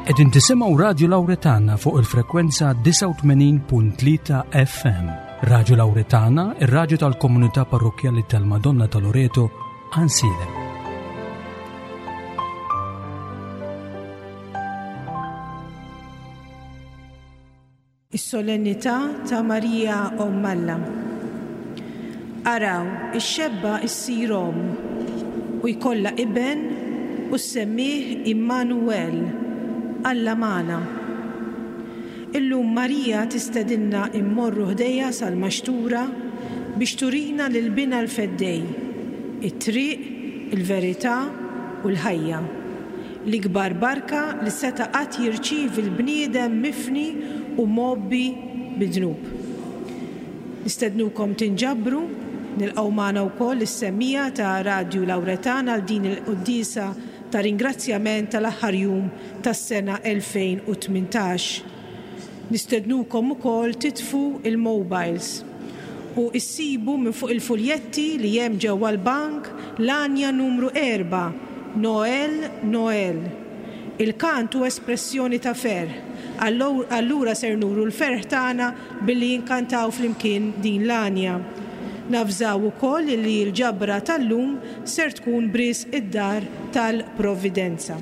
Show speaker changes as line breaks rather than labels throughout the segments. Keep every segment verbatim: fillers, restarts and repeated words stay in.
Qegħdin tisimgħu Radio Lauretana fuq il-frekwenza disgħa u tmenin punt tlieta F M. Radio Lauretana, ir-radju tal-komunità parrokkjali tal-Madonna ta' Loreto, Għajnsielem.
Is-solennità ta' Marija Omm Alla. Araw, ix-xebba issir omm u jkollha iben u ssemmih Immanuel, Alla magħna. Illum Marija tistedinna immorru ħdejha sal-maxtura biex turina lil binha l-Feddej, it-triq, il-verità u l-ħajja. L-ikbar barka li seta' qatt jirċievi l-bniedem mifni u mgħobbi bid-dnub. Nistednukom tinġabru, nilqgħu magħna wkoll is-semmiegħa ta' Radio Lauretana għal din il-quddiesa ta' ringrazzjament tal-aħħar jum tas-sena elfejn u tmintax. Nistednukom ukoll titfu il-mobiles u issibu minn fuq il-fuljetti li hemm ġewwa l-bank l-għanja numru erba', Noel, Noel. Il-kant hu espressjoni ta' ferħ. Allura ser nuru l-ferħ tagħna billi jinkantaw flimkien din l-għanja. Navżaw ukoll li l-ġabra tal-lum ser tkun b'risq id-dar tal-Providenza.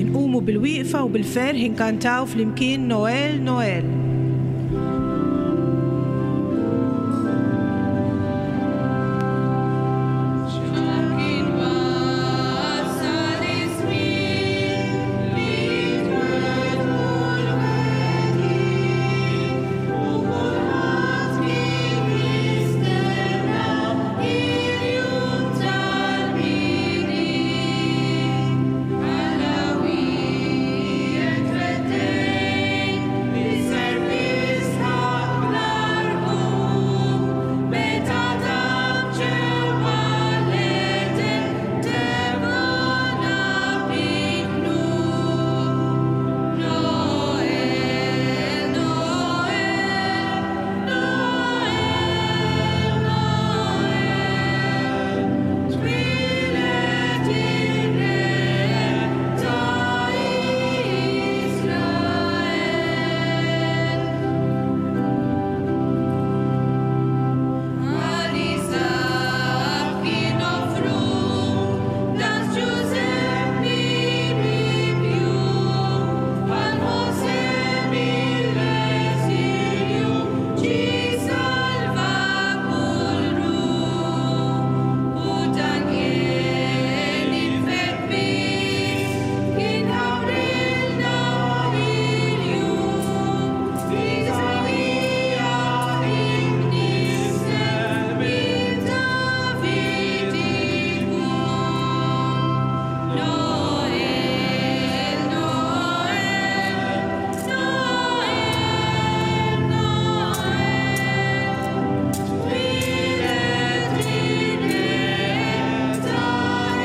Inqumu bil-wieqfa u bil-ferħ inkantaw flimkien Noel, Noel.
Kien wasal iż-żmien li twettqu l-wegħdi u kulħadd kien jistenna il-jum tal-Milied. Alla wiegħed feddej li ser jisħaq bl-arqum meta dam ġewwa l-Eden tebgħana bid-dnub. Noel, Noel, Noel, Noel, twieled ir-Re ta' Israel. Għal Iżakk kien offrut dan Ġużeppi mibjugħ, għal Mosè mill-eżilju ġie salva kull ruħ. U Danjel il-febbis kien ħawrilna il-jum, Iżaija imnissel minn David ikun. Noel, Noel, Noel, Noel, twieled ir-Re ta'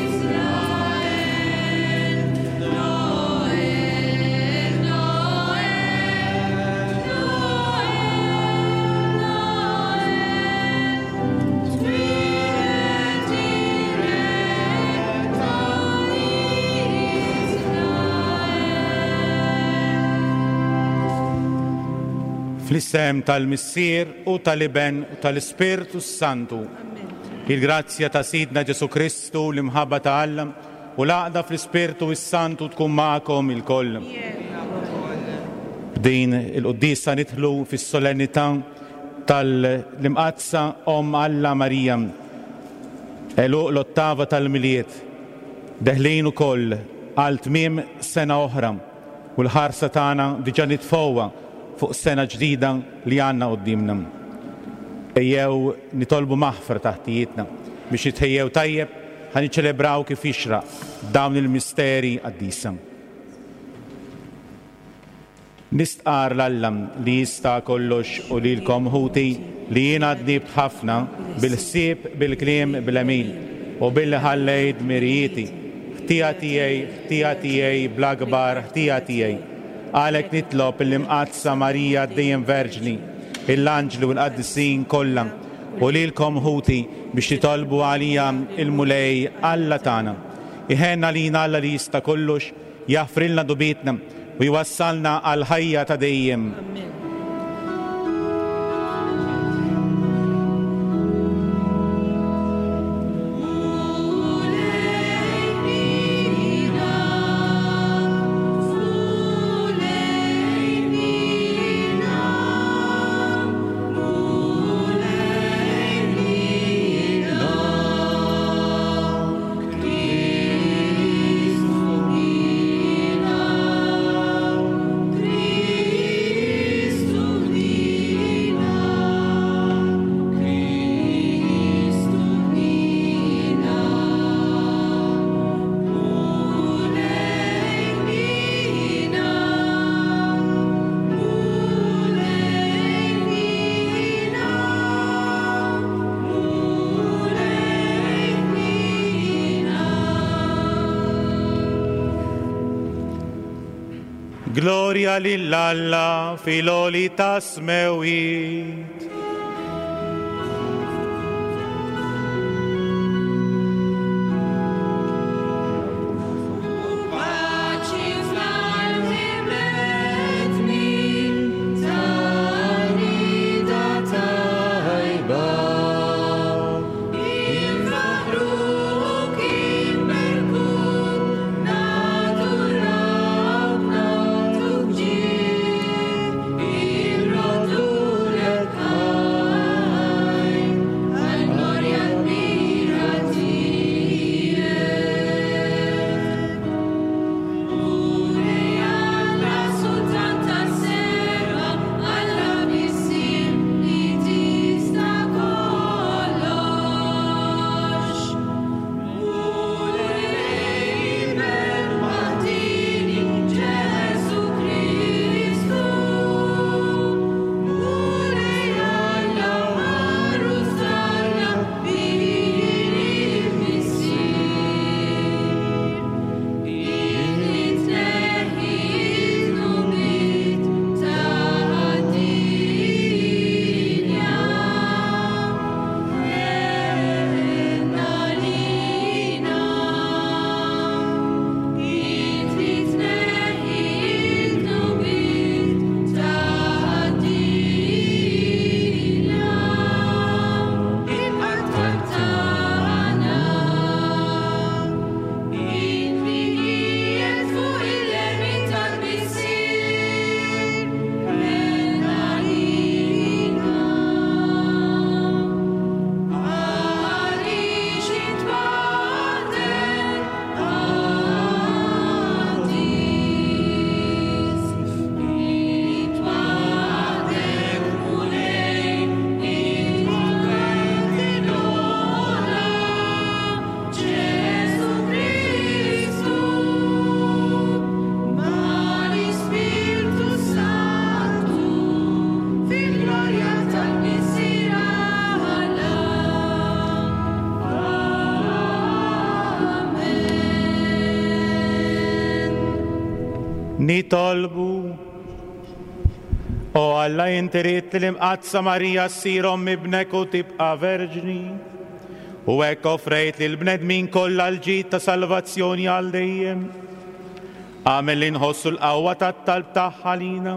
Israel. Noel, Noel, Noel, Noel, twieled ir-Re ta' Israel.
Fl-isem tal-Missier u tal-Iben u tal-Ispirtu Santu. Il-grazzja ta' Sidna Ġesu Kristu, l-imħabba ta' Alla u l-għaqda fl-Ispirtu is-Santu tkun magħkom ilkoll. B'din il-quddiesa nidħlu fis-solennità tal-Imqaddsa Omm Alla Marija. Għeluq l-ottava tal-Milied. Deħlin ukoll għal tmiem sena oħra u l-ħarsa tagħna diġà nitfgħuha fuq sena ġdida li għandna quddiemna. Ejjew nitolbu maħfra ta' ħtijietna biex nitħejjew tajjeb ħa niċċelebraw kif jixraq dawn il-misteri qaddisa. Nistqar 'l Alla li jista' kollox u lilkom, ħuti, li jiena dnibt ħafna bil-ħsieb, bil-kliem, bl-għemil u billi ħallejt dmirijieti. Ħtija tiegħi, ħtija tiegħi, bl-akbar ħtija tiegħi. Għalhekk nitlob il-Imqaddsa Marija dejjem Verġni, l-anġli u l-qaddisin kollha, u lilkom ħuti biex titolbu għalija il-Mulej Alla tagħna. Iħenna lina Alla li jista' kollox, jaħfrilna dnubietna u jwassalna għal ħajja ta' dejjem.
Amen.
Gloria lil Alla fil-għoli tas-smewwiet.
Paċi fl-art bnedmin ta' tajba. Infaħruk, inberkuk, nadurawk, nagħtuk ġieħ, inroddulek ħajr, għall-glorja kbira tiegħek. Mulej Alla, Sultan tas-sema, Alla Missier li tista' kollox. Mulej Iben waħdieni Ġesù Kristu. Mulej Alla, Għarus t'Alla, bil-Missier. Illi tneħħi d-dnubiet tad-dinja, ħenna lina. Illi tneħħi d-dnubiet tad-dinja, il-qatt tagħna. Int li qiegħed fuq il-lemin tal-Missier, ħenna lina. Għaliex int waħdek qaddis, int waħdek Mulej, int waħdek l-ogħla, Ġesù Kristu, mal-Ispirtu Santu, fil-glorja tal-Missier Alla. Amen.
Nitolbu. O Alla, inti ridt li l-Imqaddsa Marija ssir omm ibnek u tibqa' verġni. U hekk offrejt lil bnedmin kollha l-ġid ta' salvazzjoni għal dejjem. Agħmel li nħossu l-qawwa tat-talb tagħha lina.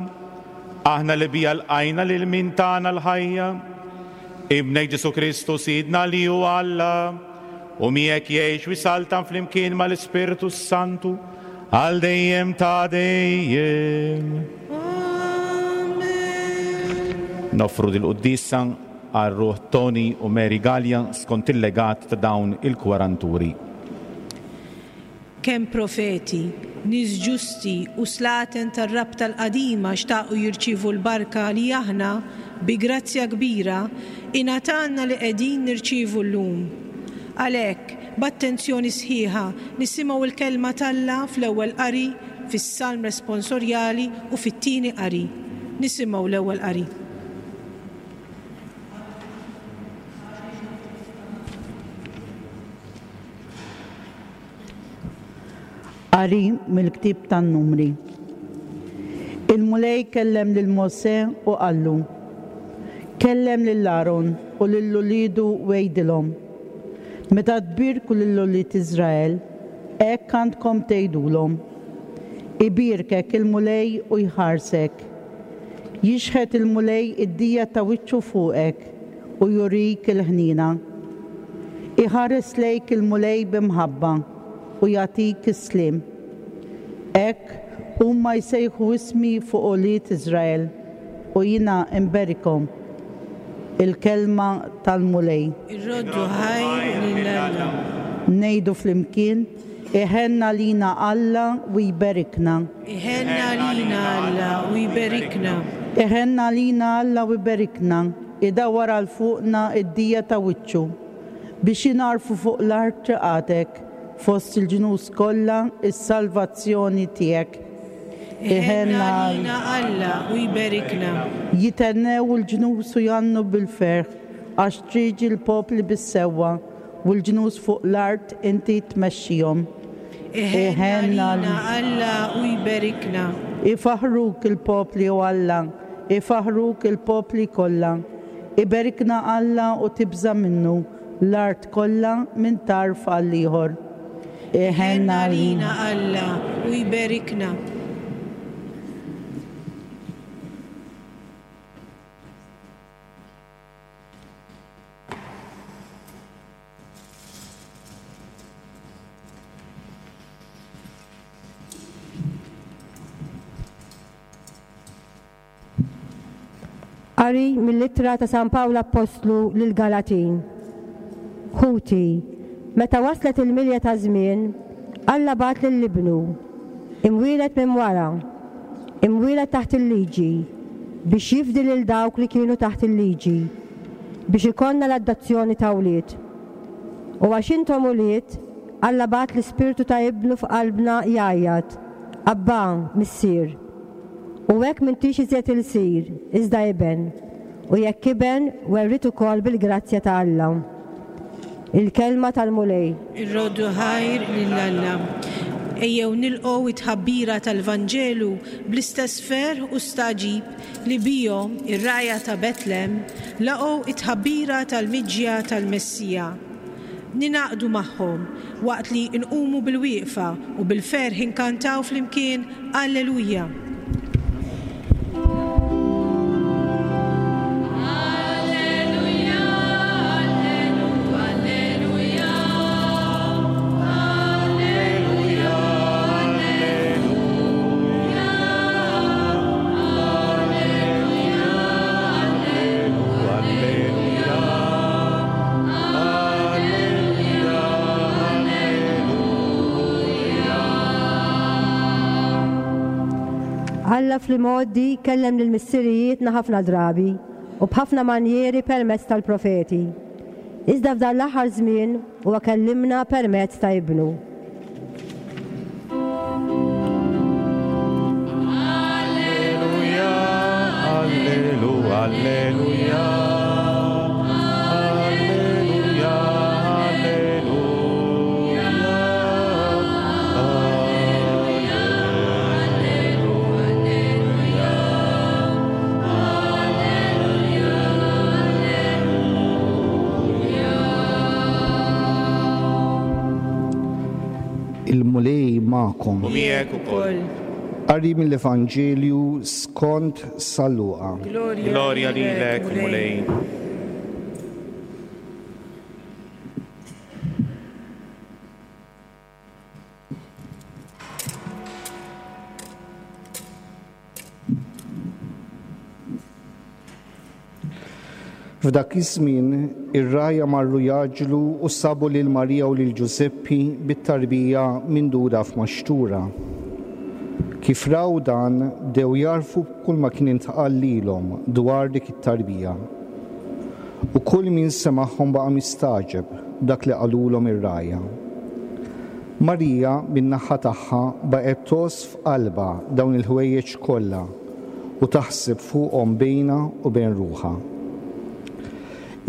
Aħna li bija lqajna lil min tana l-ħajja. Ibnek Ġesù Kristu Sidna li hu Alla, u miegħek jgħix u jsaltan flimkien mal-Ispirtu Santu għal dejjem ta' dejjem.
Amen.
Noffru dil-quddiesa għal ruħ Tony u Mary Gallia skont il-legat ta' dawn il-kwaranturi.
Kemm profeti, nies ġusti u slaten tar-rabta l-qadima xtaqu jirċievu l-barka li aħna bi grazzja kbira ingħatalna li qegħdin nirċievu llum. Għalhekk, b'attenzjoni sħiħa nisimgħu l-kelma t'Alla fl-ewwel qari, fis-salm responsorjali u fit-tieni qari. Nisimgħu l-ewwel qari.
Qari mill-ktieb tan-Numri. Il-Mulej kellem lil Mosè u qallu: Kellem lil Aron u lil uliedu u għidilhom: Meta tbierku lil ulied Iżrael, hekk għandkom tgħidulhom: Ibierkek il-Mulej u jħarsek. Jixħet il-Mulej id-dija ta' wiċċu fuqek u jurik il-ħniena. Iħares lejk il-Mulej b'imħabba u jagħtik is-sliem. Hekk huma jsejħu ismi fuq ulied Iżrael u jiena nberikhom. Il-kelma tal-Mulej.
Irroddu ħajr lil Alla.
Ngħidu flimkien: Iħenn għalina Alla u jberikna.
Iħenn għalina Alla u jberikna.
Iħenn għalina Alla u jberikna, idawwar għal fuqna id-dija ta' wiċċu, biex jingħarfu fuq l-art triqatek, fost il-ġnus kollha is-salvazzjoni tiegħek.
Iħenn għalina Alla u jberikna.
Jithennew il-ġnus u jgħannu bil-ferħ, għax treġi l-popli bis-sewwa u l-ġnus fuq l-art inti tmexxihom.
Iħenn għalina Alla u jberikna.
Ifaħruk il-popli, o Alla, ifaħruk il-popli kollha. Iberikna Alla u tibża' minnu l-art kollha minn tarf għal ieħor.
Iħenn għalina Alla u jberikna.
Qari mill-ittra ta' San Pawl Appostlu lil Galatin. Ħuti, meta waslet il-milja ta' żmien, Alla bagħat lil ibnu, imwieled minn wara, imwieled taħt il-liġi, biex jifdi lil dawk li kienu taħt il-liġi, biex ikollna l-adozzjoni ta' wlied. U għax intom ulied, Alla bagħat l-ispirtu ta' ibnu f'qalbna jgħajjat: Abba, Missier. U hekk m'intix iżjed ilsir, iżda iben, u jekk iben, werriet ukoll bil-grazzja ta' Alla. Il-kelma tal-Mulej.
Irroddu ħajr lil Alla. Ejjew nilqgħu it-tħabbira tal-Vanġelu bl-istess ferħ u stagħġib li bihom ir-rgħajja ta' Betlem laqgħu it-tħabbira tal-miġja tal-Messija. Ningħaqdu magħhom waqt li nqumu bil-wieqfa u bil-ferħ inkantaw flimkien Alleluja.
Alleluja, alleluja, alleluja, alleluja, alleluja, alleluja.
Alla fl-imgħoddi kellem lil missirijietna ħafna drabi u b'ħafna manjieri permezz tal-profeti. Iżda f'dan l-aħħar żmien huwa kellimna permezz ta' ibnu.
Alleluja, allelu, alleluja. Alleluja, alleluja. Alleluja.
Il-Mulej magħkom.
U miegħek ukoll.
Qari mill-Evanġelju skont San Luqa.
Glorja lilek, Mulej.
F'dak iż-żmien ir-rgħajja marru jgħaġġlu u sabu lil Marija u lil Ġużeppi bit-tarbija mindura f'maxtura. Kif raw dan, bdew jagħrfu kull ma kien intqal lilhom dwar dik it-tarbija. U kull min semagħhom baqa' mistagħġeb dak li qalulhom ir-rgħajja. Marija min-naħa tagħha baqgħet tgħożż f'qalbha dawn il-ħwejjeġ kollha u taħseb fuqhom bejnha u bejn ruħha.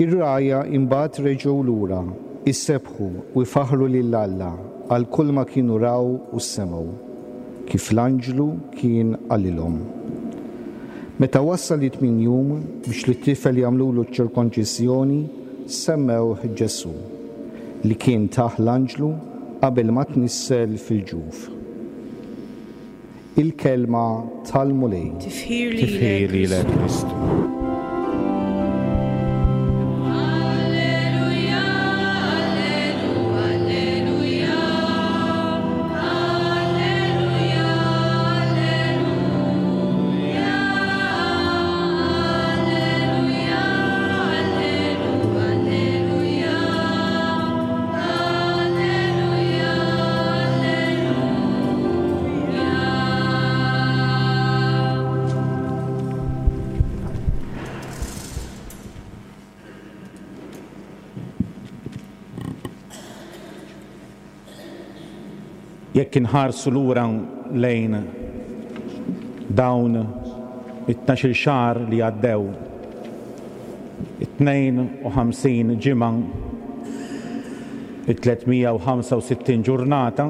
Ir-rgħajja imbagħad reġgħu lura Isebbħu u jfaħħru lil Alla għal kull ma kienu raw u semgħu, kif l-anġlu kien qalilhom. Meta wasal it-tmien jum biex lit-tifel jagħmlulu ċ-ċirkonċiżjoni, semmewh Ġesù, li kien tah l-anġlu qabel ma tnissel fil-ġuf. Il-kelma tal-Mulej.
Tifħir
Tifħir lilek Kristu.
Alleluja, alleluja, alleluja, alleluja, alleluja, alleluja, alleluja, alleluja.
Jekk inħarsu lura lejn dawn it-tnax-il xahar li għaddew, it-tnejn u ħamsin ġimgħa, it-tliet mija u ħamsa u sittin ġurnata,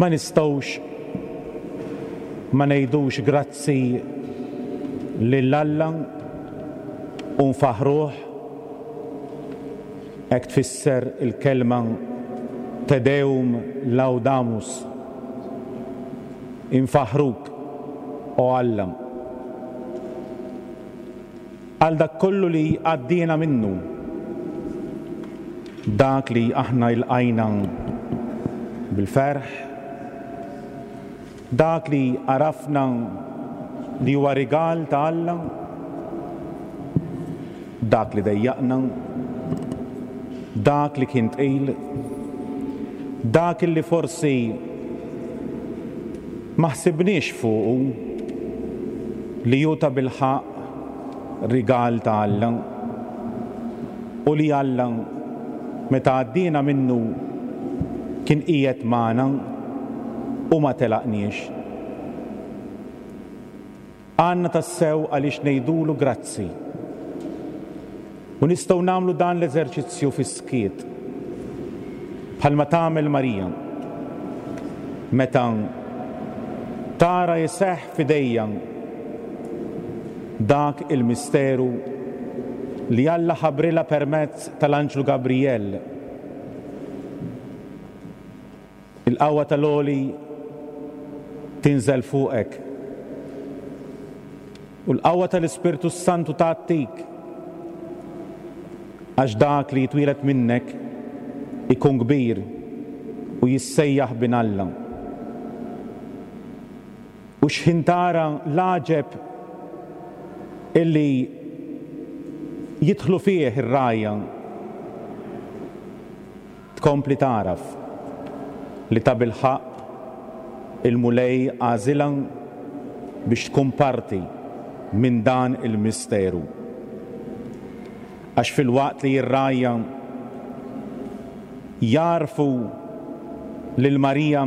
ma nistgħux ma ngħidux grazzi lil Alla u nfaħruh. Hekk tfisser il-kelma Te Deum Laudamus, infaħruk, o Alla, għal dak kollu li għaddiena minnu, dak li aħna ilqajna bil-ferħ, dak li għarafna li huwa rigal ta' Alla, dak li dejjaqna, dak li kien tqil, dak li forsi ma ħsibniex fuqu li hu ta' bilħaqq rigal ta' Alla u li Alla meta għaddiena minnu kien qiegħed magħna u ma telaqniex. Għandna tassew għaliex ngħidulu grazzi. U nistgħu nagħmlu dan l-eżerċizzju fis-skiet, bħalma tagħmel Marija meta tara jseħħ f'idejja dak il-misteru li Alla ħabrilha permezz tal-Anġlu Gabriel. Il-qawwa tal-għoli tinżel fuqek u l-qawwa tal-Ispirtu Santu tgħattik, għax dak li jitwielet minnek ikun kbir u jissejjaħ bin Alla. U x'ħin tara l-għaġeb illi jidħlu fih ir-rajja, tkompli taraf li ta' bilħaqq il-Mulej għażilha biex tkun parti minn dan il-misteru. Għax fil-waqt li r-rajja jarfu lil Marija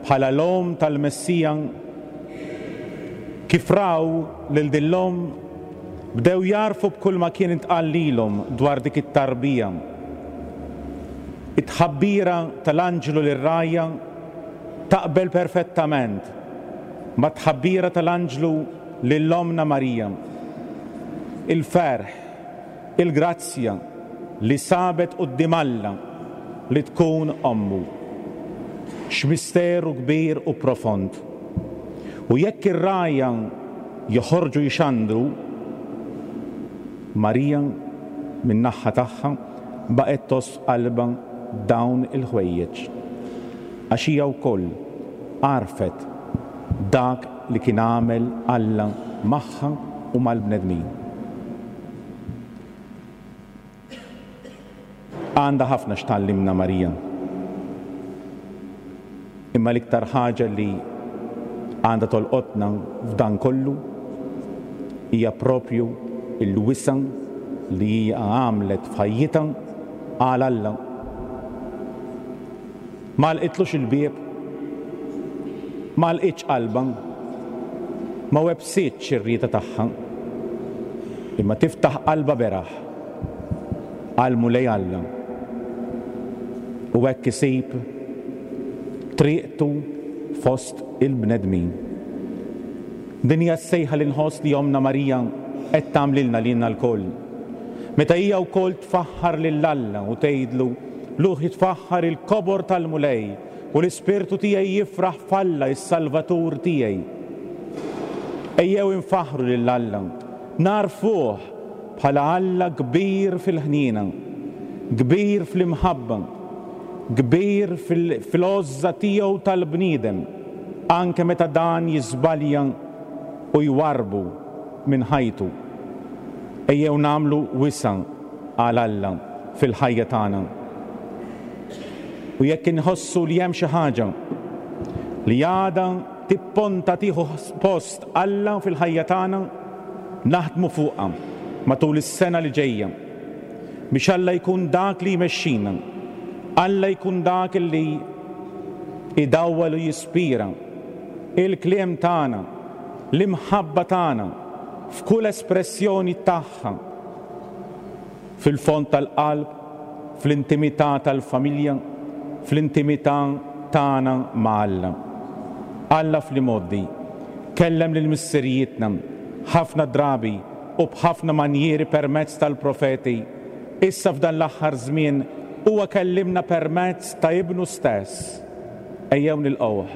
bħala l-omm tal-Messija, kif raw lil din l-omm bdew jarfu b'kull ma kien intqal lilhom dwar dik it-tarbija. It-tħabbira tal-anġlu lir-rajja taqbel perfettament ma' tħabbira tal-anġlu lil-ommna Marija. Il-ferħ, il-grazzja li sabet quddiem Alla li tkun ommu. X'misteru kbir u profond. U jekk ir-rajja joħorġu jxandru, Marija min-naħa tagħha baqgħet toss qalbha dawn il-ħwejjeġ, għax hija wkoll għarfet dak li kien għamel Alla magħha u mal-bnedmin. Għandha ħafna x'tallimna Marija. Imma l-iktar ħaġa li għandha tolqotna f'dan kollu hija propju il-wisa li hija għamlet f'ħajjitha għal Alla. Ma lqitlux il-bieb, ma lqitx qalbha, ma websitx ir-rieda tagħha, imma tiftaħ qalbha beraħ għall-Mulej Alla. U hekk isib triqtu fost il-bnedmin. Din hija s-sejħa li nħoss li Ommna Marija qed tagħmlilna lilna lkoll. Meta hija wkoll tfaħħar lil Alla u tgħidlu ruħi tfaħħar il-kobor tal-Mulej u l-ispirtu tiegħi jifraħ f'Alla is-Salvatur tiegħi. Ejjew infaħħru lil Alla, narfuh bħala Alla kbir fil-ħniena, kbir fl-imħabba, kbir fil-għożża tiegħu tal-bniedem, anke meta dan jiżbalja u jwarrbu minn ħajtu. Ejjew nagħmlu wisa' għal Alla fil-ħajja tagħna. U jekk inħossu li hemm xi ħaġa li għadha tipponta tieħu post Alla fil-ħajja tagħna, naħdmu fuqha matul is-sena li ġejja biex Alla jkun dak li jmexxina, Alla jkun dak li idawwal u jispira il-kliem tagħna, l-imħabba tagħna f'kull espressjoni tagħha, fil-fond tal-qalb, fl-intimità tal-familja, fl-intimità tagħna ma' Alla. Alla fl-imgħoddi kellem lil missirijietna ħafna drabi u b'ħafna manjieri permezz tal-profeti. Issa f'dan l-aħħar żmien huwa kellimna permezz ta' ibnu stess. Ejjew nilqgħuh.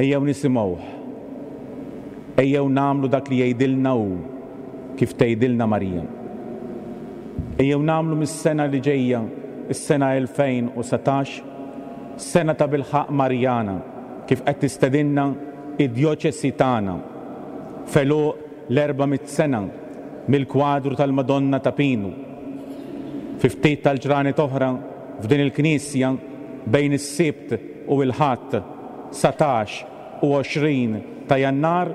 Ejjew nisimgħuh. Ejjew nagħmlu dak li jgħidilna hu, kif tgħidilna Marija. Ejjew nagħmlu mis-sena li ġejja, is-sena elfejn u satax, sena ta' bilħaq Marjana, kif qed tistedinna id-djoċesi tagħna f'għeluq l-erba' mitt sena mill-kwadru tal-Madonna ta' Pinu. Fi ftit tal-ġranet oħra f'din il-knisja bejn is-Sibt u l-Ħadd satax u għoxrin ta' Jannar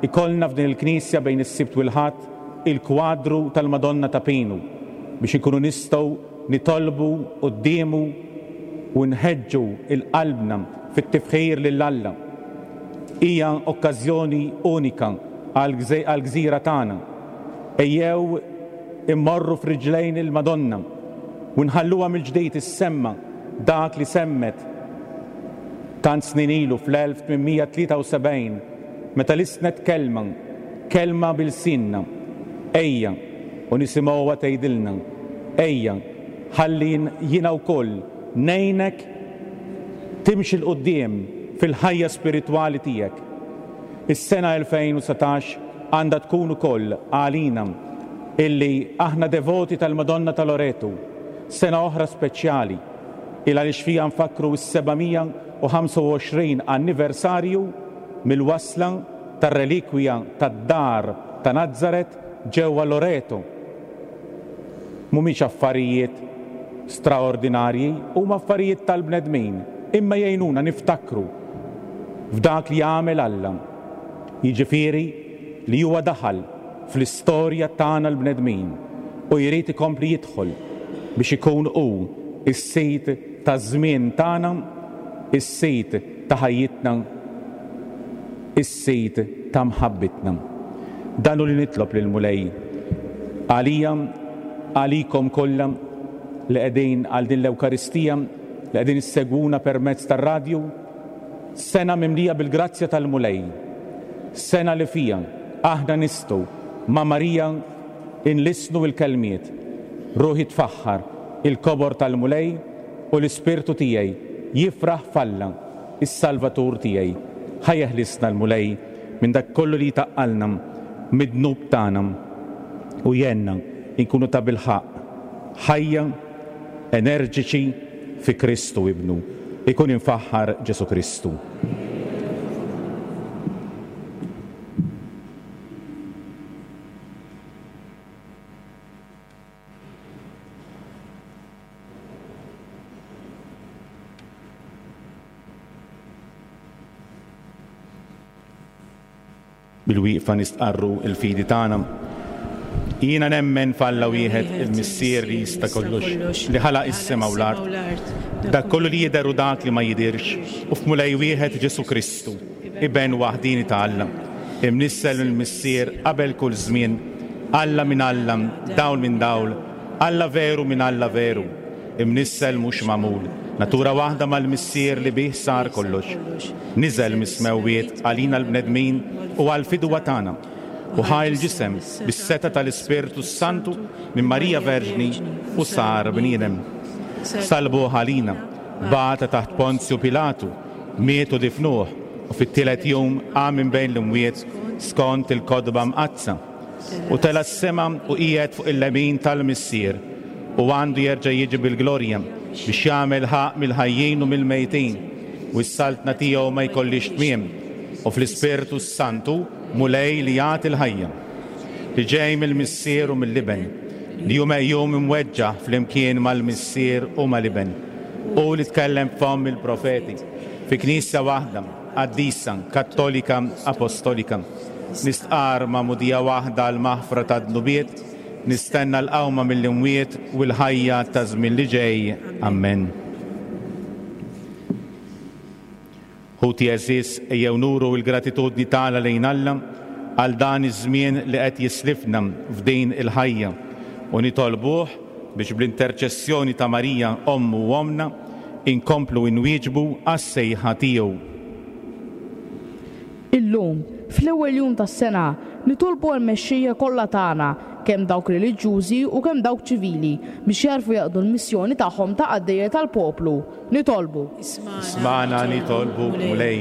ikollna f'din il-knisja bejn is-Sibt u l-Ħadd il-kwadru tal-Madonna ta' Pinu biex ikunu nistgħu nitolbu quddiemu u nħeġġu il-qalbna fit-tifħir lil Alla. Hija okkażjoni unika għall-gżira tagħna. Ejjew immorru f'riġlejn il-Madonna u nħalluha mill-ġdid issemma dak li semmet tant snin ilu fl-elf tmien tlieta u sebgħin meta lisnet kelma, kelma bil-sinna. Ejja u nisimgħuha tgħidilna, ejja ħalli jiena wkoll ngħinek timxi 'l quddiem fil-ħajja spiritwali tiegħek. Is-sena elfejn u satax għandha tkun ukoll għalina illi aħna devoti tal-Madonna ta' Loreto, sena oħra speċjali, il għaliex fija nfakru s-seba' mija u ħamsa u għoxrin anniversarju mill-wasla tar-relikwija tad-dar ta' Nazaret ġewwa Loreto. Mhumiex affarijiet straordinarji, huma affarijiet tal-bnedmin, imma jgħinuna niftakru f'dak li għamel Alla. Jiġifieri li huwa daħal fl-istorja tagħna l-bnedmin u jrid ikompli jidħol biex ikun hu is-sid taż-żmien tagħna, is-sid ta' ħajjitna, is-sid ta' mħabbitna. Dan hu li nitlob lil Mulej għalija, għalikom kollha li qegħdin għal din l-Ewkaristija, li qegħdin issegwuna permezz tar-radju, sena mimlija bil-grazzja tal-Mulej, sena li fija aħna nistgħu ma' Marija inlisnu l-kelmiet, ruħi tfaħħar il-kobor tal-Mulej u l-ispirtu tiegħi jifraħ f'Alla, is-Salvatur tiegħi. Ħa jeħlisna l-Mulej minn dak kollu li jtaqqalna mid-dnub tagħna u jgħinna nkunu ta' bilħaqq ħajja enerġiċi fi Kristu ibnu. Ikun infaħħar Ġesu Kristu. Bil-wieqfa nistqarru il-fidi tagħna. Jiena nemmen f'Alla wieħed, il-Missier li jista' kollox, li ħalaq is-sema u l-art, dak kollu li jidher u dak li ma jidhirx, u f'Mulej wieħed Ġesu Kristu, iben waħdini ta' Alla, imnissel mill-Missier qabel kull żmien, Alla minn Alla, dawl minn dawl, Alla veru minn Alla veru, imnissel mhux magħmul, natura waħda mal-Missier li bih sar kollox. Niżel mis-smewwiet għalina l-bnedmin u għall-fidwa tagħna, u ħa l-ġisem bis-setgħa tal-Ispirtu Santu minn Marija Verġni u sar bniedem. Salbuh għalina, bata taħt Ponzju Pilatu, miet u difnuh, u fit-tielet jum qam minn bejn l-imwiet skont il-Kotba Mqaddsa, u tela' s-sema u qiegħed fuq il-lemin tal-Missier, u għandu jerġa' jiġi bil-glorja biex jagħmel ħaqq mill-ħajjin u mill-mejtin, u s-saltna tiegħu ma jkollix tmiem, u fl-Ispirtu Santu Mulej li jagħti l-ħajja, li ġej mill-Missier u mill-Iben, li hu meqjum imweġġa' flimkien mal-Missier u mal-Iben, u li tkellem f'fomm il-profeti, fi knisja waħda, qaddisa, kattolika, apostolika. Nistqar magħmudija waħda għall-maħfra tad-dnubiet, nistenna l-qawma mill-imwiet u l-ħajja ta' żmien li ġej. Amen. Ħuti għeżież, ejjew nuru l-gratitudni tagħna lejn Alla għal dan iż-żmien li qed jislifna f'din il-ħajja, u nitolbuh biex bl-interċessjoni ta' Marija ommu u omna inkomplu nwieġbu għas-sejħa tiegħu.
Illum, fl-ewwel jum tas-sena, nitolbu għall-mexxejja kollha tagħna, kemm dawk reliġjużi u kemm dawk ċivili, biex jarfu jaqdu l-missjoni tagħhom ta' qaddejja tal-poplu. Nitolbu.
Ismagħna nitolbu, Mulej.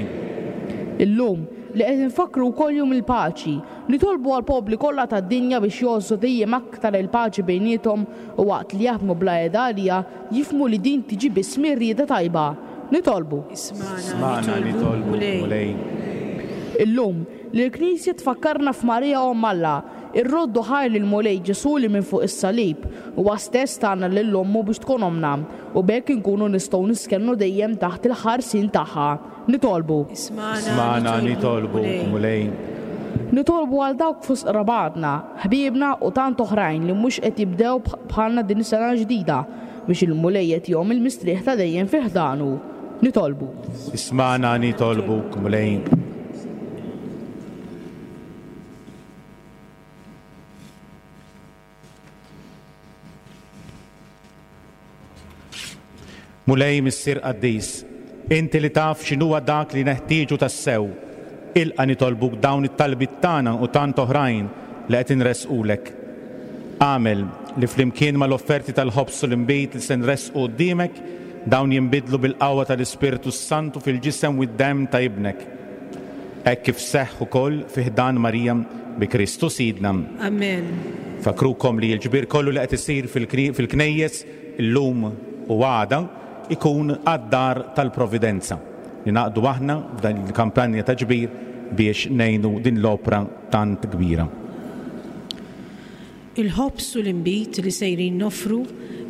Illum, li qed infakkru wkoll jum il-paċi, nitolbu għall-popli kollha tad-dinja biex jgħożżu dejjem aktar il-paċi bejniethom u waqt li jaħdmu bla qiegħda għalija jifhmu li din tiġi biss mir-rieda tajba. Nitolbu.
Ismagħna nitolbu, Mulej.
Illum, li l-Knisja tfakkarna f'Marija Omm Alla, irroddu ħajr lil Mulej Ġesu li minn fuq is-salib huwa stess tagħna lil ommu biex tkun omna, u b'hekk inkunu nistgħu niskennu dejjem taħt il-ħarsien tagħha. Nitolbu.
Ismagħna nitolbu, Mulej.
Nitolbu għal dawk fost qrabatna, ħbiebna u tant oħrajn li mhux qed jibdew bħalna din is-sena ġdida biex il-Mulej jagħtihom il-mistrieħ ta' dejjem fi ħdanu. Nitolbu.
Ismagħna nitolbu, Mulej. Mulej Missier Qaddis, inti li taf x'inhuwa dak li neħtieġu tassew, ilqa' nitolbuk dawn it-talbiet tagħna u tant oħrajn li qed inresqulek. Agħmel li flimkien mal-offerti tal-ħobż u l-inbid li se nresqu quddiemek, dawn jinbidlu bil-qawwa tal-Ispirtu Santu fil-ġisem u d-demm ta' Ibnek. Hekk kif seħħ ukoll fi ħdan Marija bi Kristu Sidna.
Amen.
Fakrukom li l-ġbir kollu li qed isir fil-knejjes illum u għada ikun għad-dar tal-Providenza. Ninaqdu aħna f'dan il-kampanja ta' ġbir biex ngħinu din l-opra tant kbira.
Il-ħobż u l-inbid li sejrin nofru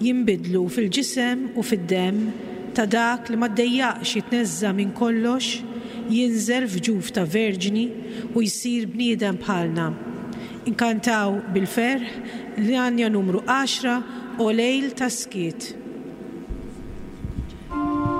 jinbidlu fil-ġisem u fid-demm ta' dak li ma ddejjaqx jitneżża minn kollox, jinżel f'ġuf ta' verġni u jsir bniedem bħalna. Inkantaw bil-ferħ l-għanja numru għaxra o lejl ta' skiet.
Thank you.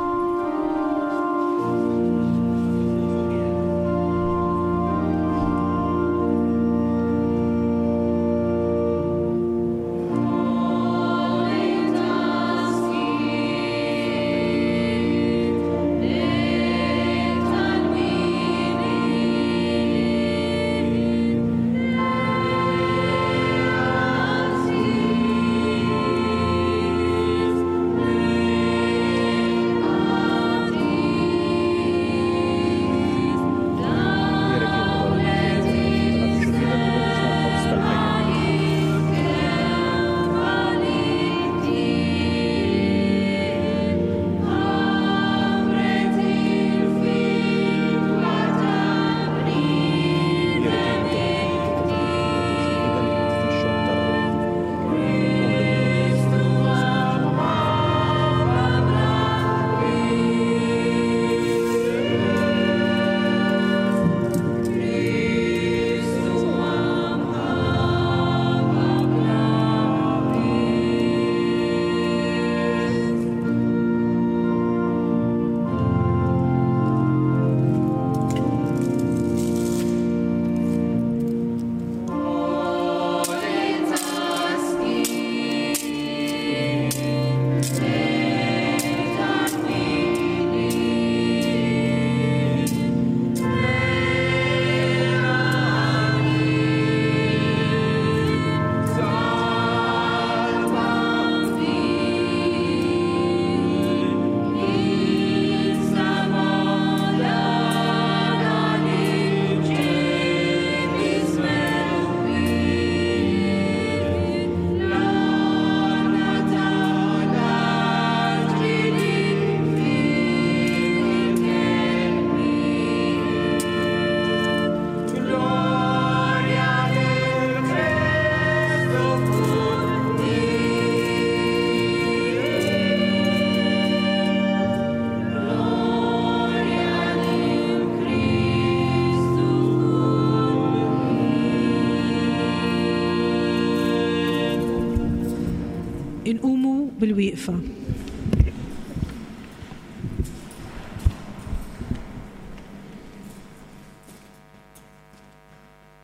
bil-wieqfa.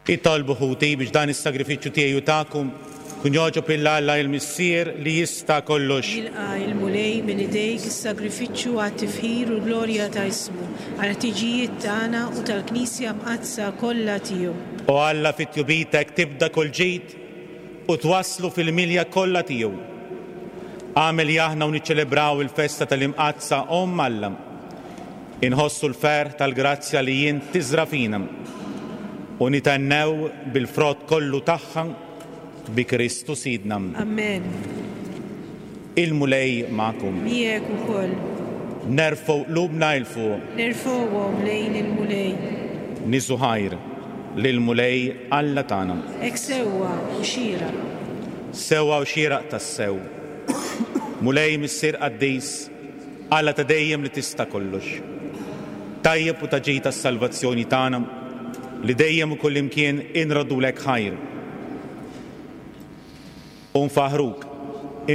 Itolbu ħuti biex dan is-sagrifiċċju tiegħi u tagħkom kun jogħġob lil Alla il-Missier li jista' kollox.
Jilqa' il-Mulej minn idejk is-sagrifiċċju għat-tifħir u l-glorja ta' ismu, għal-ħtiġijiet tagħna u tal-Knisja mqaddsa kollha tiegħu.
O Alla fit-tjubitek tibda kull ġid u twasslu fil-milja kollha tiegħu. Agħmel li aħna u niċċelebraw il-festa tal-Imqaddsa Omm Alla. Inħossu l-ferħ tal-grazzja li jien tiżra fina u nitennew bil-frott kollu tagħha bi Kristu Sidna.
Amen.
Il-Mulej magħkom.
Miegħek ukoll.
Nerfgħu qlubna 'l fuq.
Nerfgħuhom lejn il-Mulej.
Niżu ħajr lill-Mulej Alla tagħna.
Hekk sewwa u xieraq.
Sewwa u xieraq tassew. Mulej Missier Qaddis, Alla ta' dejjem li tista' kollox. Tajjeb u ta' ġid tas-salvazzjoni tagħna li dejjem u kullimkien inroddulek ħajr. U nfaħruk,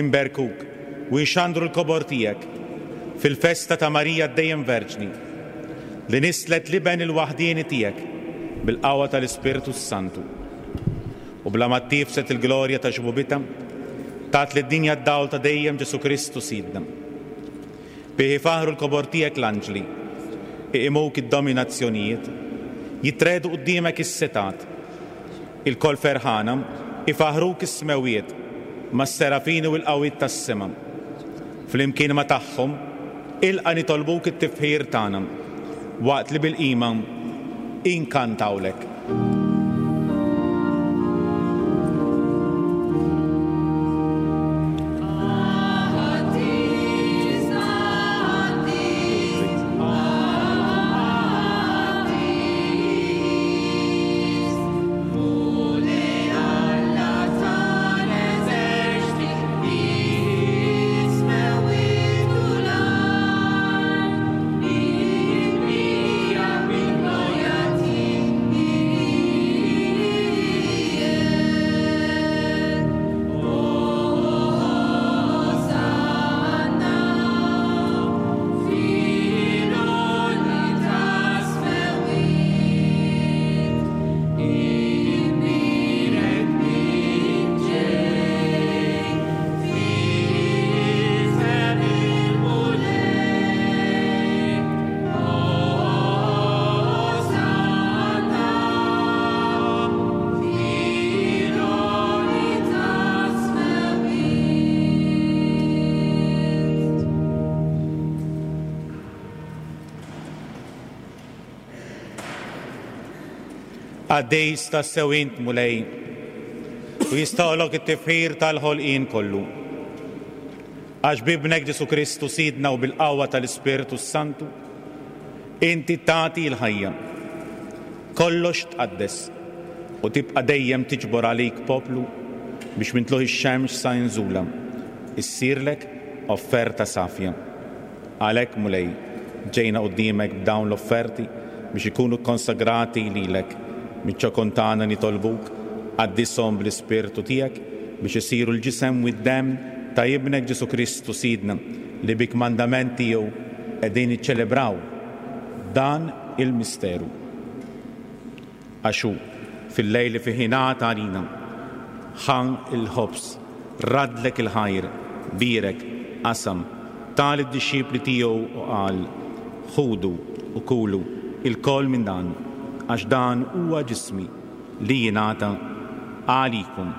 imberkuk u nxandru l-kobor tiegħek fil-festa ta' Marija dejjem Verġni li nislet l-iben il-waħdieni tiegħek bil-qawwa tal-Ispirtu Santu. U bla ma ttifset il-glorja ta' xbubitha, tat lid-dinja d-dawl ta' dejjem Ġesu Kristu Sidna. Bih ifaħru l-kobor tiegħek l-anġli, iqimuk id-dominazzjonijiet, jitredu quddiemek is-setat. Il-kol ferħana ifaħruk is-smewiet mas-serafini u l-qawwiet tas-sema. Flimkien ma tagħhom ilqa' nitolbuk it-tifħir tagħna waqt li bil-qima inkantawlek. Qaddis tassew int Mulej, u jistagħlok it-tifħir tal-ħolqien kollu. Għax b'ibnek Ġesu Kristu Sidna u bil-qawwa tal-Ispirtu Santu, inti tagħti l-ħajja. Kollox tqaddes u tibqa' dejjem tiġbor għalik poplu biex minn tluħ ix-xemx sa inżula issirlek offerta safja. Għalhekk Mulej, ġejna quddiemek b'dawn l-offerti biex ikunu konsagrati lilek. Miċ-ċokon tagħna nitolbuk, qaddishom bl-Ispirtu tiegħek biex isiru l-ġisem u d-demm ta' ibnek Ġesu Kristu Sidna li bi kmandament tiegħu qegħdin niċċelebraw dan il-misteru. Għax hu fil-lejl li fih ingħata għalina ħa il-ħobż, radlek il-ħajr, bierek, qasam, ta lid-dixxipli tiegħu u qal: Ħudu u kulu ilkoll minn dan, għax dan huwa ġismi li jingħata għalikom.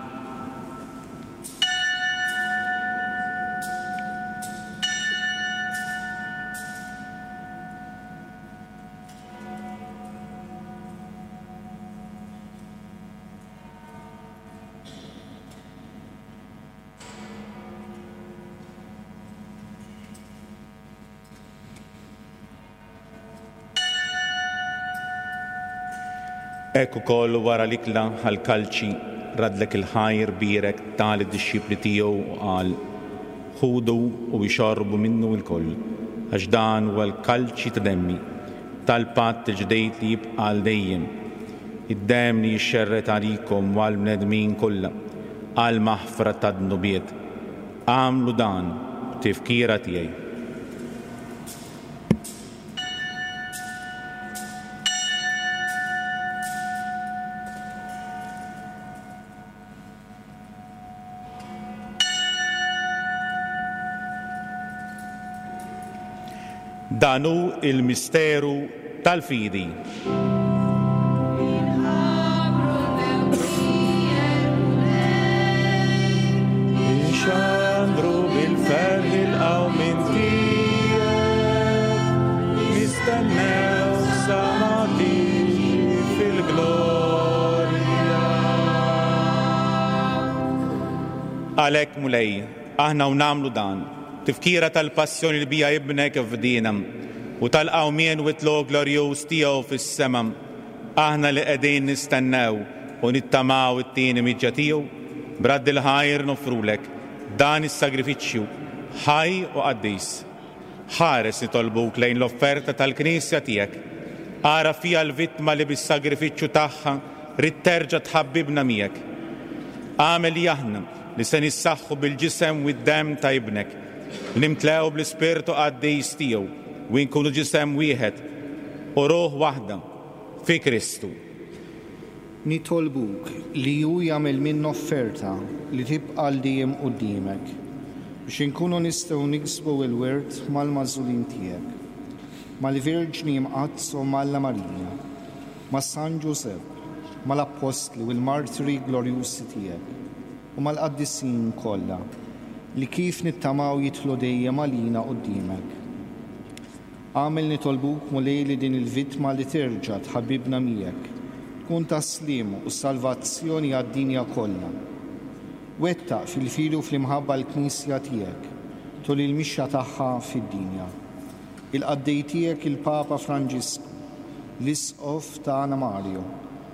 Hekk ukoll wara l-ikla ħall-kalċi, radlek il-ħajr, bierek, ta lid-dixxipli tiegħu u qal: Ħudu u ixorbu minnu lkoll, għax dan huwa l-kalċi ta' demmi, tal-patt il-ġdid li jibqa' għal dejjem. Id-demm li jixxerred għalikom u għall-bnedmin kollha, għal maħfra ta' dnubiet. Agħmlu dan b'tifkira tiegħi. Dan hu il-misteru tal-fidi. Inxandru bil-ferħ il-qawmien tiegħek, nistennew sa ma tiġi fil-glorja. Għalhekk Mulej, aħna u nagħmlu dan, tifkira tal-passjoni li bija ibnek f'dina u tal-qawmien u t-tlugħ glorjuż tiegħu fis-sema, aħna li qegħdin nistennew u nittamaw it-tieni miġja tiegħu, bradd il-ħajr nofrulek dan is-sagrifiċċju ħaj u qaddis. Ħares nitolbuk lejn l-offerta tal-Knisja tiegħek. Ara fija l-vittma li bis-sagrifiċċju tagħha rid terġa' tħabbibna miegħek. Agħmel li aħna li se nissaħħu bil-ġisem u d-demm ta' ibnek, nimtlew bl-Ispirtu qaddis tiegħu u nkunu ġisem wieħed u ruħ waħda fi Kristu.
Nitolbuk li hu jagħmel minn offerta li tibqa' għal dejjem quddiemek, biex inkunu nistgħu niksbu l-wirt mal-magħżulin tiegħek, mal-Verġni Mqaddsa u mal Marija, ma' San Ġużepp, mal-Appostli u l-Martri glorjusi tiegħek u mal-qaddisin kollha li kif nittamaw jidħlu dejjem għalina quddiemek. Agħmel nitolbuk Mulej li din il-vittma li terġa' tħabbibna miegħek tkun ta' sliem u salvazzjoni għad-dinja kollha. Wettaq fil-fidi u fl-imħabba l-Knisja tiegħek tul il-mixja tagħha fid-dinja. Il-qaddej tiegħek il-Papa Franġisku, l-Isqof tagħna Mario,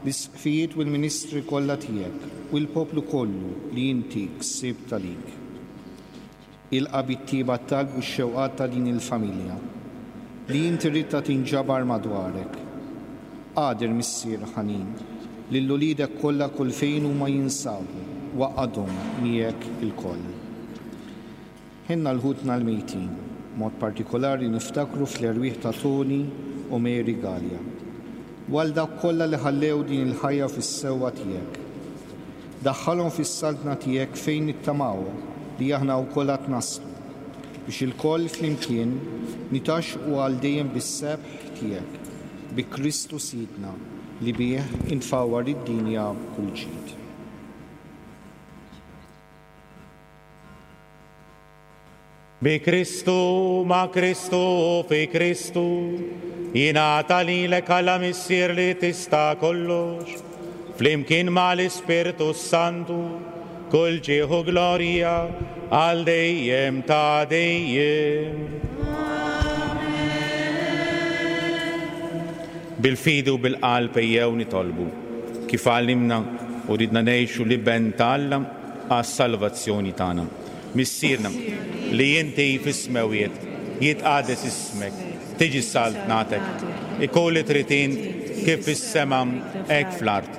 l-isqfijiet u l-ministri kollha tiegħek u l-poplu kollu li inti ksibt għalik. Ilqa' bit-tieba t-talb u x-xewqat ta' din il-familja li inti ridtha tinġabar madwarek. Qadir Missier ħanin, lil uliedek kollha kull fejn huma jinsabu, waqgħadhom miegħek ilkoll. Ħinna l-ħutna l-mejtin, mod partikolari niftakru fl-erwieħ ta' Tony u Mary Gallia, u għal dawk kollha li ħallew din il-ħajja fis-sewwa tiegħek. Daħħalhom fis-saltna tiegħek fejn nittamaw li aħna wkoll għad naslu, biex ilkoll flimkien nitaxqu għal dejjem bis-sebħ tiegħek, bi Kristu Sidna li bih intfawwar id-dinja b'kull ġid.
Bi Kristu, ma' Kristu, fi Kristu, jingħata lilek Alla Missier li tista' kollox, flimkien mal-Ispirtu Santu, kull ġieħ u glorja għal dejjem ta' dejjem. Bil-fidi u bil-qalb ejjew nitolbu, kif għallimna u ridna ngħixu l-Iben ta' Alla għas-salvazzjoni tagħna. Missierna li inti fis-smewwiet, jitqades ismek, tiġi saltnatek, ikun li trid int kif fis-sema hekk fl-art.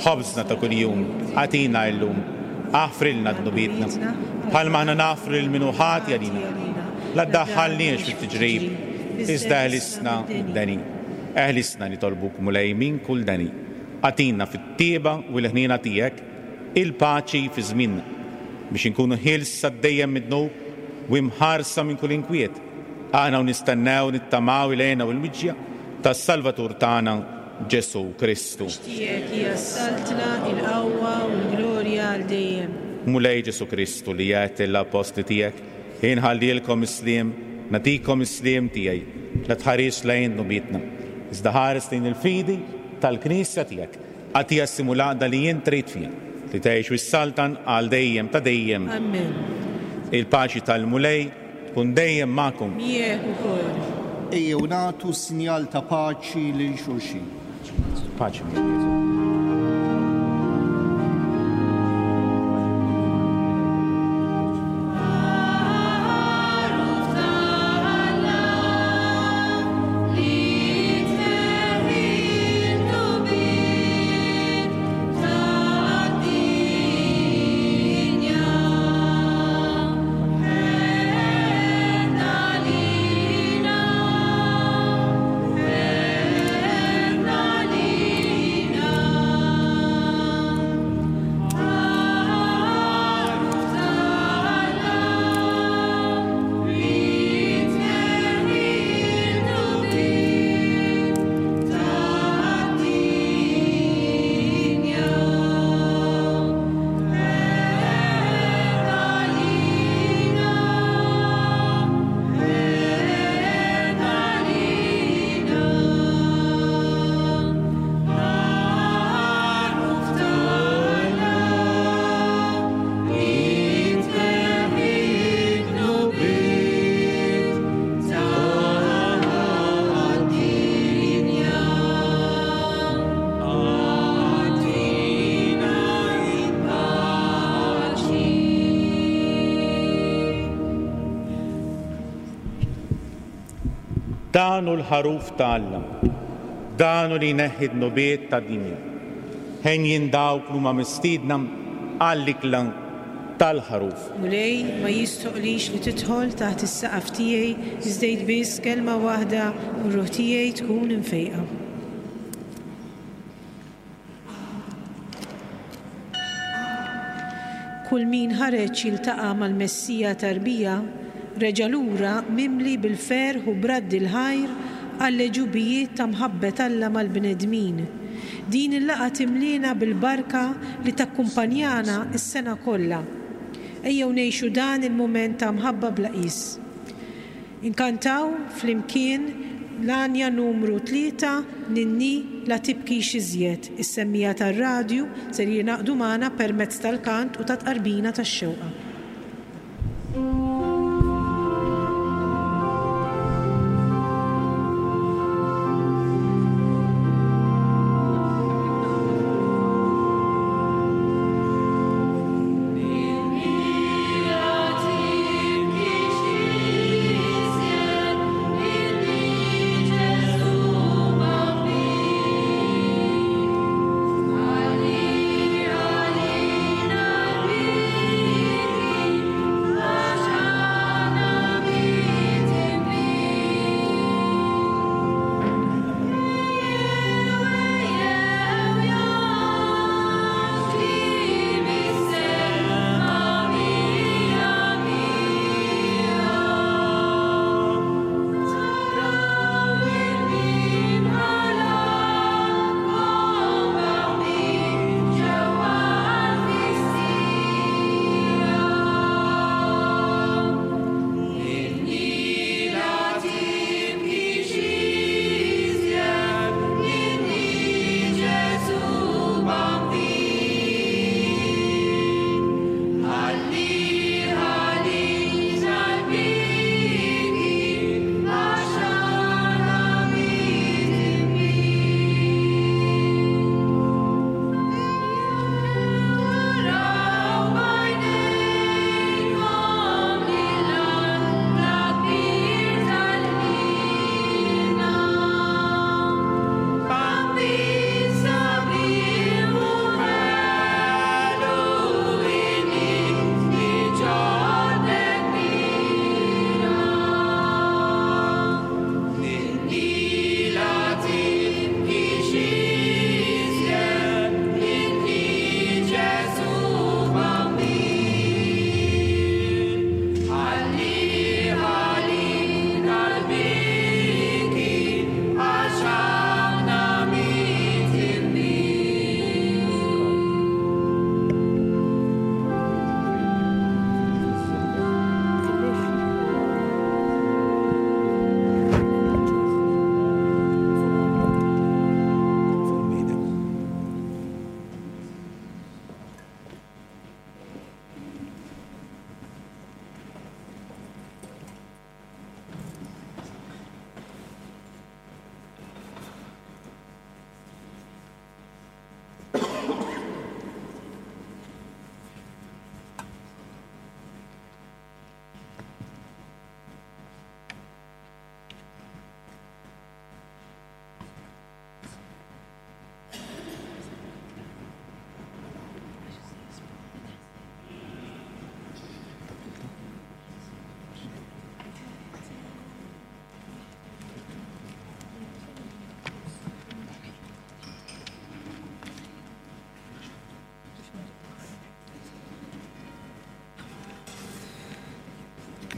Ħobżna ta' kuljum agħtina llum, aħfrilna dnubietna, bħalma aħna naħfru lil min hu ħati għalina. La ddaħħalniex fit-tiġrib, iżda eħlisna mid-deni. Eħlisna nitolbuk Mulej minn kull deni. Agħtina fit-tieba u l-ħniena tiegħek il-paċi fi żmienna, biex inkunu ħielsa dejjem mid-dnub u imħarsa minn kull inkwiet. Aħna u nistennew nittamaw il-għena u l-miġja tas-Salvatur tagħna Ġesu Kristu.
Tiegħek hija s-saltna, il-qawwa u l-glorja għal dejjem.
Mulej Ġesu Kristu li għedt lill-appostli tiegħek, inħallilkom is-sliem, nagħtikom is-sliem tiegħi, la tħares lejn dnubietna, iżda ħares lejn il-fidi tal-Knisja tiegħek. Agħtiha s-simulaqda li jien trid fiha, li tgħix u s-saltan għal dejjem ta' dejjem.
Amen.
Il-paċi tal-Mulej tkun dejjem magħkom.
Miegħek ukoll.
Ejjew nagħtu sinjal ta' paċi lil xulxin.
Paċi miegħek, Ġesu. Dan hu l-ħaruf ta' Alla, dan hu li jneħħi d-dnubiet tad-dinja. Henjin dawk li huma mistiedna għall-ikla tal-ħaruf.
Mulej, ma jistħoqqlix li tidħol taħt is-saqaf tiegħi, iżda għid biss kelma waħda u r-ruħ tiegħi tkun imfejqa. Kull min ħareġ jiltaqa' mal-Messija tarbija reġa' lura mimli bil-ferħ u bradd il-ħajr għall-għeġubijiet ta' mħabbet Alla mal-bnedmin. Din il-laqgħa timlina bil-barka li takkumpanjana s-sena kollha. Ejjew ngħixu dan il-mument ta' mħabba bla qis. Inkantaw flimkien l-għanja numru tlieta Ninni la tibkix iżjed. Is-semmija tar-radju ser jingħaqdu magħna permezz tal-kant u ta' tqarbina tax-xewqa.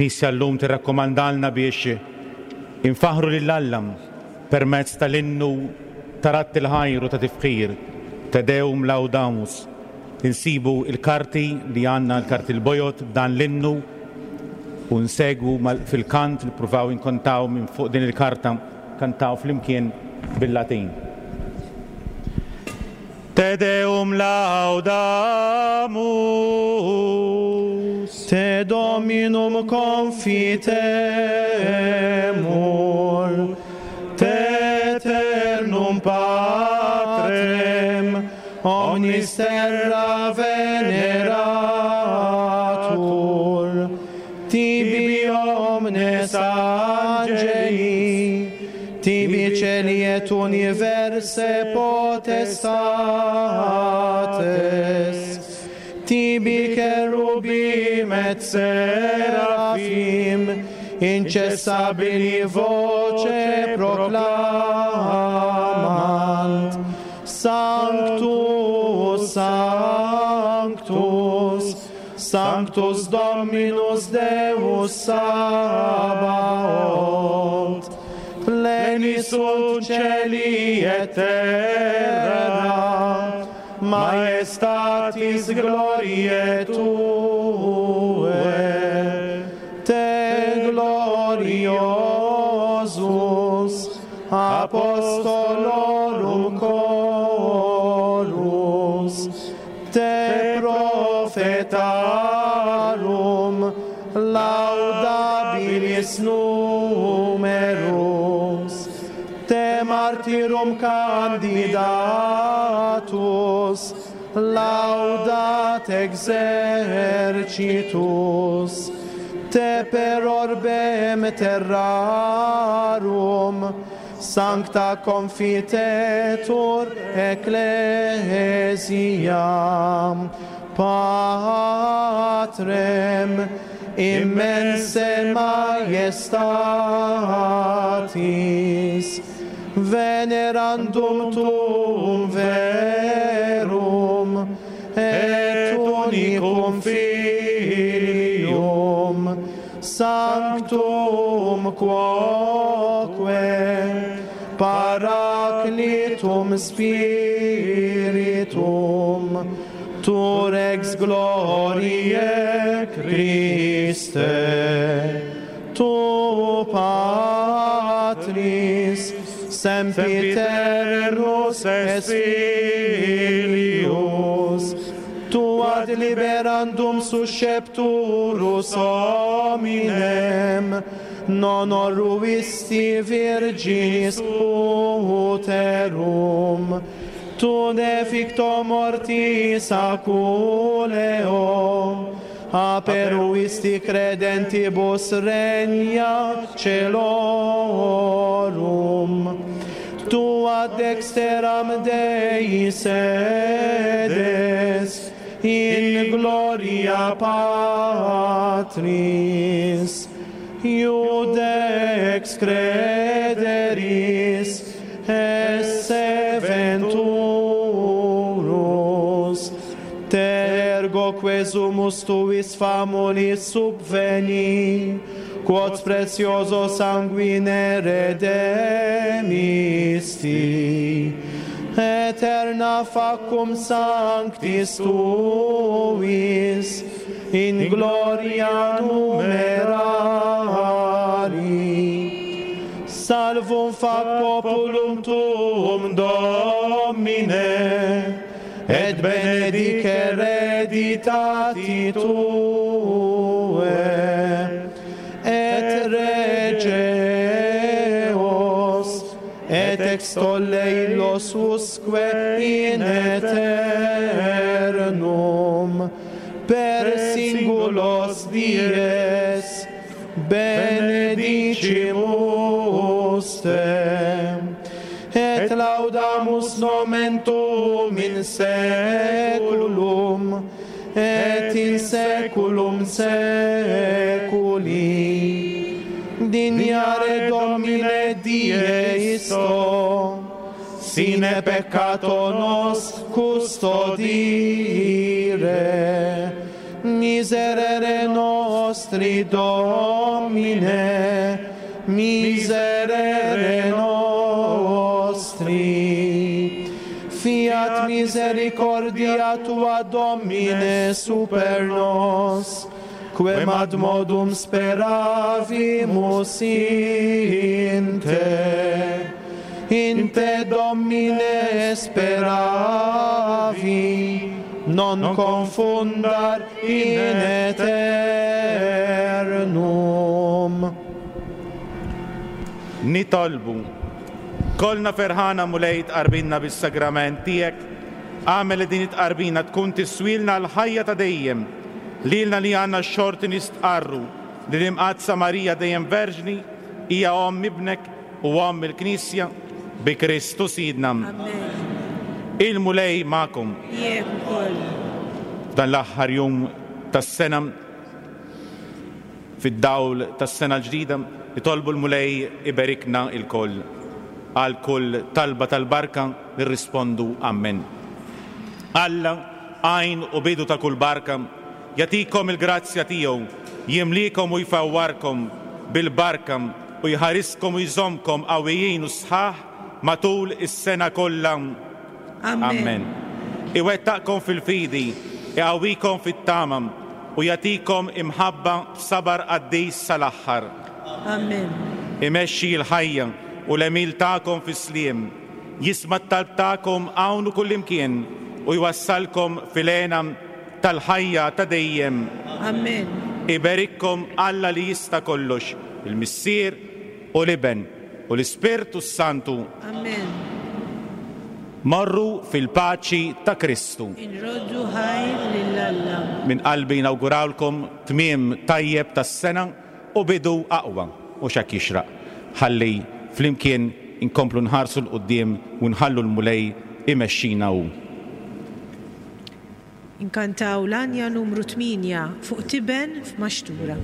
Knisja llum tirrakkomandalna biex infaħru lil Alla permezz tal-innu ta' radd il-ħajr u ta' tifħir, Te Deum Laudamus. Insibu il-karti li għandna, l-karti l-bojod b'dan l-innu, u nsegwu fil-kant li pruvaw inkontaw minn fuq din il-karta, kantaw flimkien bil-Latin. Te Deum laudamus,
Te Dominum confitemus, Te aeternum Patrem, omnis terra veneratur, tibi omnes angeli, tibi celi et universe potestates, tibi cherubim et seraphim, incessabili voce proclamant, Sanctus, Sanctus, Sanctus Dominus Deus Sabaoth, pleni sunt celi et terra, maestatis gloriae Tue, te gloriosus apostolorum chorus, te prophetarum laudabilis numerus, te martyrum candidatus, laudat exercitus, te per orbem terrarum, sancta confitetur ecclesia, Patrem immense majestatis, venerandum tuum verum, et unicum Filium, sanctum quoque, paraclitum spiritum, tu rex gloriae Christe, tu Patris, sempiternus es Filius, tu ad liberandum suscepturus hominem, non oruisti virginis uterum, tu deficto mortis aculeo, aperuisti credentibus regna celorum, tu ad dexteram Dei sedes, in gloria Patris, iudex crederis, esse venturus, tergo quesumus tuis famulis subveni, quod precioso sanguine redemisti, aeterna facum sanctis tuis, in gloria numerari. Salvum fac populum tuum, Domine, et benedic hereditati tue, et rege eos, et extolle illos usque in aeternum, per singulos dies benedicimus te, et laudamus nomen tuum in saeculum, et in saeculum saeculi. Dignare Domine die isto, sine peccato nos custodire, miserere nostri Domine, miserere nostri. Fiat misericordia tua, Domine, super nos, quem ad modum speravimus in te. In te, Domine, speravi, non confundar in aeternum.
Nitolbu. Kolna ferħana Mulej tqarbinna bis-sagrament tiegħek, agħmel li din it-tqarbina tkun tiswilna l-ħajja ta' dejjem, lilna li għandna x-xorti nistqarru li l-Imqaddsa Marija dejjem Verġni Hija omm ibnek u omm il-Knisja bi Kristu Sidna.
Amen.
Il-Mulej magħkom.
Miegħek ukoll.
F'dan l-aħħar jum tas-sena, fid-dawl tas-sena l-ġdida, nitolbu l-Mulej iberikna lkoll. Għal kull talba tal-barka nirrispondu Amen. Alla, għajn u bidu ta' kull barka, jagħtikom il-grazzja tiegħu, jimlikom u jfawwarkom bil-barka u jħariskom u jżommkom qawwijin u sħaħ matul is-sena kollha.
Amen.
Amen. Iwettaqkom fil-fidi, iqawwikom fit-tama u jagħtikom imħabba b'sabar qaddis sal-aħħar.
Amen.
Imexxi l-ħajja u l-għemil tagħkom fis-sliem, jisma' t-talb tagħkom hawn u kullimkien u jwassalkom fil-hena tal-ħajja ta' dejjem.
Amen.
Iberikkom Alla li jista' kollox, il-Missier u l-Iben u l-Ispirtu s-Santu.
Amen.
Morru fil-paċi ta' Kristu.
Inroddu ħajr lil Alla.
Min qalbi nawgurawlkom tmiem tajjeb tas-sena u bidu aqwa u x'hekk jixraq. Ħalli flimkien inkomplu nħarsu 'l quddiem u nħallu l-Mulej imexxina hu.
Inkantaw l-għanja numru tmienja, "Fuq Tiben f'Maxtura".